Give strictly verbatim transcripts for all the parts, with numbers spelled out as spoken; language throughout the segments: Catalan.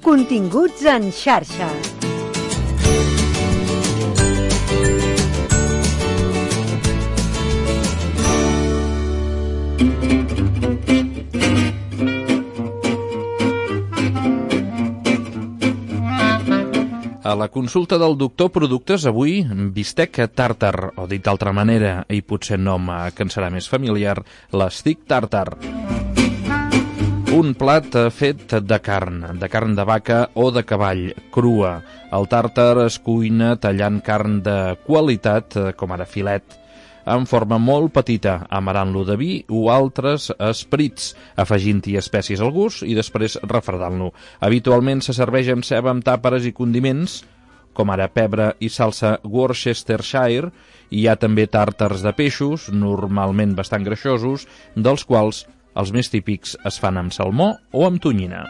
Continguts en xarxa. A la consulta del doctor Productes, avui, bistec tàrtar, o dit d'altra manera, i potser nom que ens serà més familiar, l'estic tàrtar. Un plat fet de carn, de carn de vaca o de cavall, crua. El tàrtar es cuina tallant carn de qualitat, com ara filet, en forma molt petita, amarant-lo de vi o altres esperits, afegint-hi espècies al gust i després refredant-lo. Habitualment se serveix amb ceba, amb tàperes i condiments, com ara pebre i salsa Worcestershire. Hi ha també tàrtars de peixos, normalment bastant greixosos, dels quals els més típics es fan amb salmó o amb tonyina.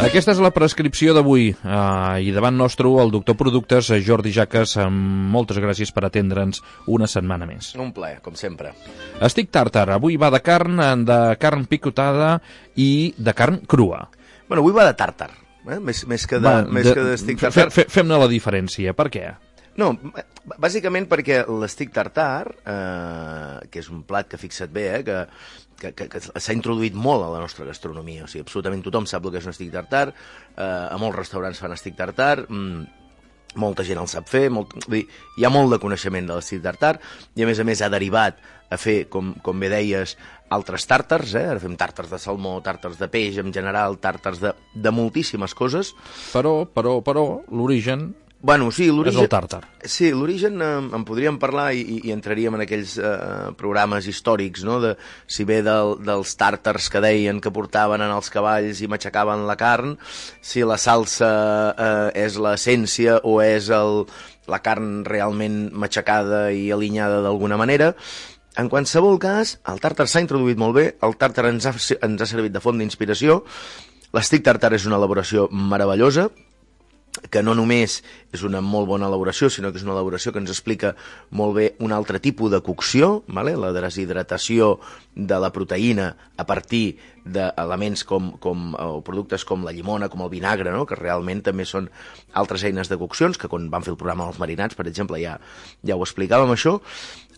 Aquesta és la prescripció d'avui, eh, i davant nostre el doctor Productes, Jordi Jaques, moltes gràcies per atendre'ns una setmana més. Un plaer, com sempre. Estic tàrtar, avui va de carn, de carn picotada i de carn crua. Bueno, avui va de tàrtar, eh? més, més que de, va, més de, que d'estic tàrtar. Fe, fe, Fem-ne la diferència, per què? No, bàsicament perquè l'estic tartar, eh, que és un plat que fixa't bé, eh, que, que, que, que s'ha introduït molt a la nostra gastronomia, o sigui, absolutament tothom sap el que és un estic tartar, eh, a molts restaurants fan estic tartar, mmm, molta gent el sap fer, molt, vull dir, hi ha molt de coneixement de l'estic tartar, i a més a més ha derivat a fer, com, com bé deies, altres tàrtars, eh? Ara fem tàrtars de salmó, tàrtars de peix en general, tàrtars de, de moltíssimes coses. Però, però, però, l'origen... Bueno, sí, és el tàrtar. Sí, l'origen eh, en podríem parlar i, i entraríem en aquells eh, programes històrics, no? De, si bé del, dels tàrtars que deien que portaven en els cavalls i matxacaven la carn, si la salsa eh, és l'essència o és el, la carn realment matxacada i alinyada d'alguna manera. En qualsevol cas, el tàrtar s'ha introduït molt bé, el tàrtar ens ha, ens ha servit de font d'inspiració, l'estic tàrtar és una elaboració meravellosa, que no només és una molt bona elaboració, sinó que és una elaboració que ens explica molt bé un altre tipus de cocció, vale? La deshidratació de la proteïna a partir d'elements com, com, o productes com la llimona, com el vinagre, no? Que realment també són altres eines de coccions, que quan vam fer el programa dels marinats, per exemple, ja, ja ho explicàvem això.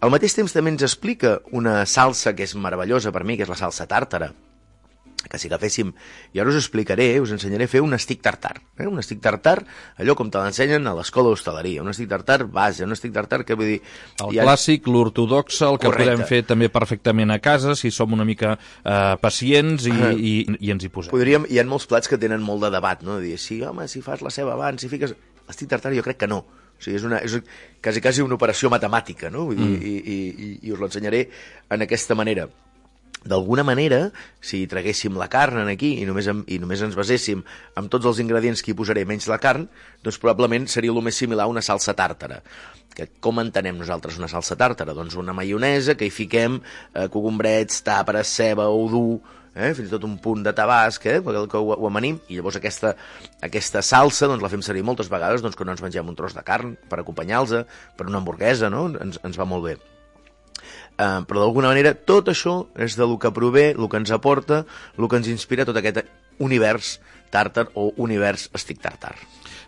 Al mateix temps també ens explica una salsa que és meravellosa per mi, que és la salsa tàrtara, que si agaféssim, i ara us explicaré, us ensenyaré a fer un estic tartar. Eh? Un estic tartar, allò com te l'ensenyen a l'escola d'hostaleria. Un estic tartar base, un estic tartar que vull dir... El ha... clàssic, l'ortodoxe, el que Correcte. Podem fer també perfectament a casa, si som una mica eh, pacients i, uh, i, i ens hi posem. Podríem, hi ha molts plats que tenen molt de debat, no? De dir, sí, home, si fas la ceba abans, si fiques... L'estic tartar jo crec que no. O sigui, és, una, és quasi, quasi una operació matemàtica, no? Vull dir, mm. i, i, i, i us l'ensenyaré en aquesta manera. D'alguna manera, si traguéssim la carn aquí i només, i només ens baséssim amb tots els ingredients que hi posaré menys la carn, doncs probablement seria el més similar a una salsa tàrtara. Que com entenem nosaltres una salsa tàrtara? Doncs una maionesa que hi fiquem eh, cogombrets, tàperes, ceba, udú, eh, fins i tot un punt de tabasc, eh, que, que ho, ho amanim, i llavors aquesta, aquesta salsa doncs, la fem servir moltes vegades doncs, quan no ens mengem un tros de carn per acompanyar-los, per una hamburguesa, no? ens, ens va molt bé. Uh, però d'alguna manera tot això és del que prové, el que ens aporta, el que ens inspira tot aquest univers tàrtar o univers estic tàrtar.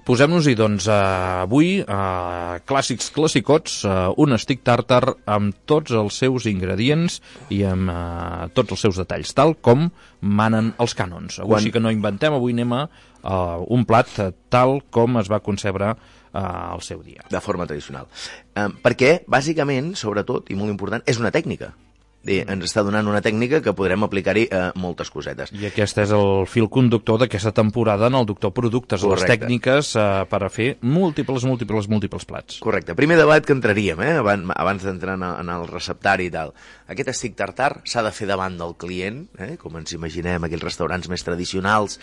Posem-nos-hi, doncs, uh, avui, uh, clàssics classicots, uh, un estic tàrtar amb tots els seus ingredients i amb uh, tots els seus detalls, tal com manen els cànons. Avui Quan... sí que no inventem, avui anem a uh, un plat tal com es va concebre Uh, al seu dia. De forma tradicional. Um, perquè, bàsicament, sobretot, i molt important, és una tècnica. I ens està donant una tècnica que podrem aplicar-hi uh, moltes cosetes. I aquest és el fil conductor d'aquesta temporada en el Doctor Productes, Correcte. Les tècniques uh, per a fer múltiples, múltiples, múltiples plats. Correcte. Primer debat que entraríem, eh? abans, abans d'entrar en, en el receptari i tal. Aquest estic tartar s'ha de fer davant del client, eh? Com ens imaginem aquells restaurants més tradicionals,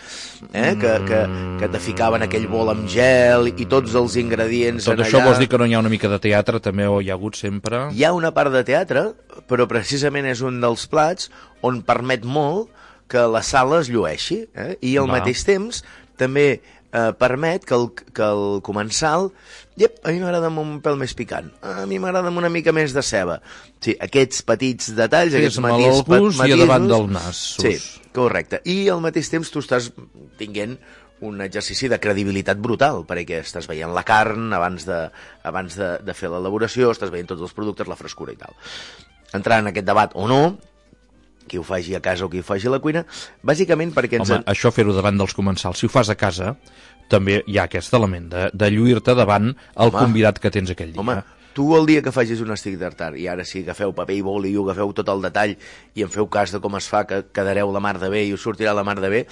eh? que, que, que te ficaven aquell bol amb gel i tots els ingredients Tot en això allà... vols dir que no hi ha una mica de teatre, també, o hi ha hagut sempre... Hi ha una part de teatre, però precisament és un dels plats on permet molt que la sala es llueixi, eh? I al Va. mateix temps també eh, permet que el, que el comensal... Iep, a mi m'agrada amb un pèl més picant, a mi m'agrada amb una mica més de ceba. Sí, aquests petits detalls, sí, aquests matís, el gust matisos... i a davant del nas. Sí, correcte. I al mateix temps tu estàs tinguent un exercici de credibilitat brutal, perquè estàs veient la carn abans de, abans de, de fer l'elaboració, estàs veient tots els productes, la frescura i tal. Entrar en aquest debat o no, qui ho faci a casa o qui ho faci a la cuina, bàsicament perquè... Ens... Home, això fer-ho davant dels comensals, si ho fas a casa, també hi ha aquest element de, de lluir-te davant el Home. convidat que tens aquell dia. Home, tu el dia que facis un estic tartar, i ara sí, agafeu paper i boli i ho agafeu tot el detall i en feu cas de com es fa, que quedareu la mar de bé i us sortirà la mar de bé,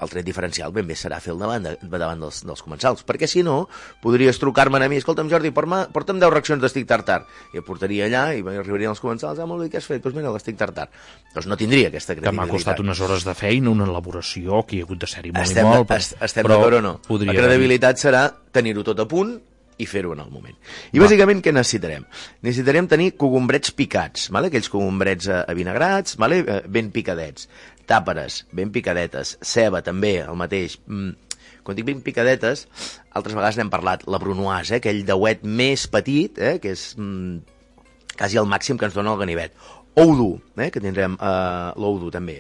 el tret diferencial ben bé serà fer el davant, de, davant dels, dels comensals, perquè si no, podries trucar-me a mi, escolta'm Jordi, porta'm deu racions d'estic tartar, i em portaria allà i arribarien els comensals, ah, molt bé, què has fet? Doncs mira, l'estic tartar. Doncs no tindria aquesta credibilitat. Que m'ha costat unes hores de feina, una elaboració, que hi ha hagut de ser-hi molt estem, i molt, però, estem d'acord o no? La credibilitat haver... serà tenir-ho tot a punt i fer-ho en el moment. I bàsicament què necessitarem? Necessitarem tenir cogombrets picats, vale? Aquells cogombrets avinagrats, vale? Ben picadets, tàperes ben picadetes, ceba també, el mateix. Quan dic ben picadetes, altres vegades n'hem parlat, la brunoise, eh? Aquell dauet més petit, eh? Que és mm, quasi el màxim que ens dona el ganivet. Ou dur, eh, que tindrem eh, l'ou dur també,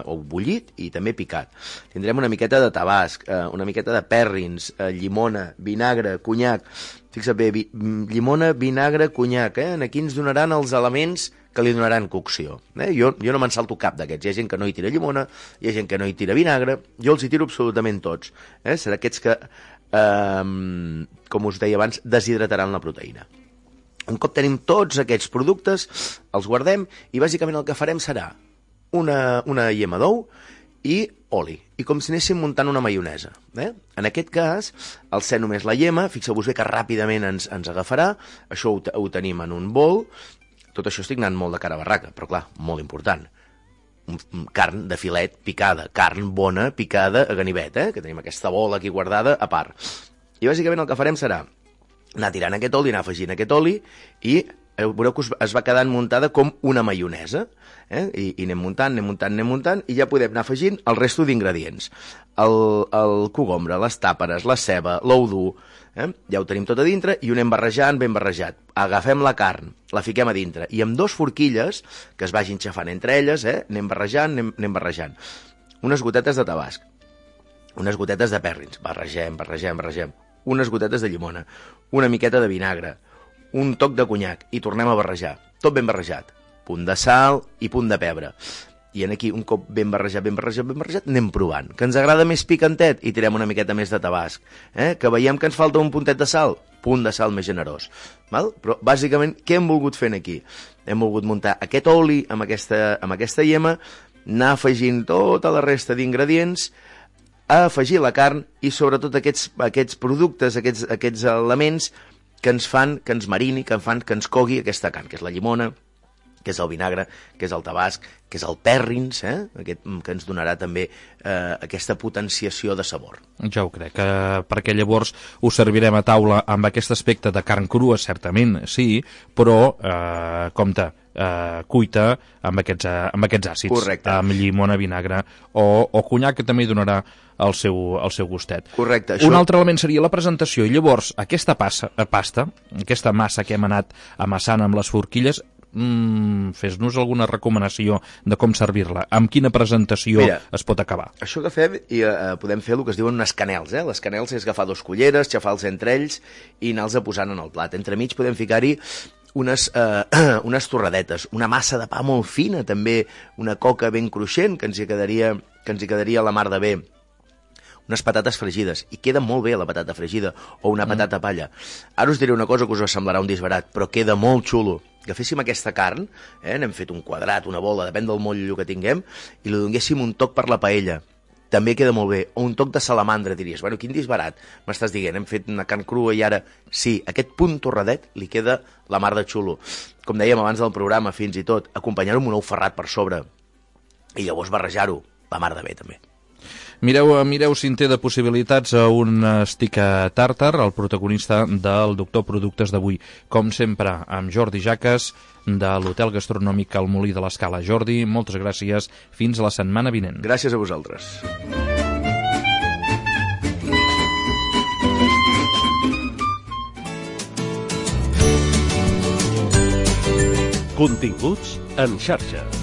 ou bullit i també picat. Tindrem una miqueta de tabasc, eh, una miqueta de pèrrins, eh, llimona, vinagre, conyac. Fixa't bé, vi, llimona, vinagre, conyac, eh? Aquí ens donaran els elements que li donaran cocció. Eh? Jo, jo no me'n salto cap d'aquests. Hi ha gent que no hi tira llimona, hi ha gent que no hi tira vinagre, jo els hi tiro absolutament tots. Eh? Serà aquests que, eh, com us deia abans, deshidrataran la proteïna. Un cop tenim tots aquests productes, els guardem i bàsicament el que farem serà una, una llima d'ou i oli, i com si anéssim muntant una maionesa. Eh? En aquest cas, al ser només la llima, fixeu-vos bé que ràpidament ens, ens agafarà, això ho, ho tenim en un bol, tot això estic anant molt de cara a barraca, però clar, molt important, un, un carn de filet picada, carn bona picada a ganivet, eh? Que tenim aquesta bola aquí guardada a part. I bàsicament el que farem serà anar tirant aquest oli, anar afegint aquest oli i veureu que es va quedant muntada com una maionesa, eh? I, i anem muntant, anem muntant, anem muntant i ja podem anar afegint el resto d'ingredients. El, el cogombre, les tàperes, la ceba, l'ou dur, eh? Ja ho tenim tot a dintre i ho anem barrejant ben barrejat. Agafem la carn, la fiquem a dintre i amb dos forquilles que es vagin xafant entre elles, eh? Anem barrejant, anem, anem barrejant. Unes gotetes de tabasc, unes gotetes de pèrrins, barregem, barregem, barregem. Unes gotetes de llimona, una miqueta de vinagre, un toc de conyac i tornem a barrejar, tot ben barrejat, punt de sal i punt de pebre. I en aquí, un cop ben barrejat, ben barrejat, ben barrejat, anem provant. Que ens agrada més picantet i tirem una miqueta més de tabasc. Eh? Que veiem que ens falta un puntet de sal, punt de sal més generós. Val? Però bàsicament, què hem volgut fer aquí? Hem volgut muntar aquest oli amb aquesta, amb aquesta llima, anar afegint tota la resta d'ingredients, a afegir la carn i sobretot aquests, aquests productes, aquests, aquests elements que ens fan, que ens marini, que ens fan que ens cogui aquesta carn, que és la llimona, que és el vinagre, que és el tabasc, que és el pèrrins, eh? Aquest, que ens donarà també eh, aquesta potenciació de sabor. Ja ho crec, eh, perquè llavors ho servirem a taula amb aquest aspecte de carn crua, certament, sí, però, eh, compte, eh, cuita amb aquests, eh, amb aquests àcids. Correcte. Amb llimona, vinagre o, o conyac, que també donarà el seu, el seu gustet. Correcte. Això... Un altre element seria la presentació, i llavors aquesta passa, pasta, aquesta massa que hem anat amassant amb les forquilles, mm, fes-nos alguna recomanació de com servir-la, amb quina presentació Mira, es pot acabar. Això que fem, i eh, podem fer el que es diuen unes canels, eh? Les canels és agafar dos culleres, xafar-los entre ells i anar-los posant en el plat. Entremig podem ficar-hi unes, eh, unes torradetes, una massa de pa molt fina, també una coca ben cruixent, que ens hi quedaria, que ens hi quedaria a la mar de bé, unes patates fregides, i queda molt bé la patata fregida, o una patata mm. palla. Ara us diré una cosa que us semblarà un disbarat, però queda molt xulo. Agaféssim aquesta carn, eh, n'hem fet un quadrat, una bola, depèn del motllo que tinguem, i li donéssim un toc per la paella. També queda molt bé. O un toc de salamandra, diries. Bueno, quin disbarat m'estàs dient? Hem fet una carn crua i ara... Sí, aquest punt torradet li queda la mar de xulo. Com dèiem abans del programa, fins i tot, acompanyar-ho amb un ou ferrat per sobre i llavors barrejar-ho, la mar de bé, també. Mireu, mireu si en té de possibilitats a un stick tàrtar, el protagonista del Doctor Productes d'avui. Com sempre, amb Jordi Jaques, de l'Hotel Gastronòmic El Molí de l'Escala. Jordi, moltes gràcies. Fins la setmana vinent. Gràcies a vosaltres. Continguts en xarxa.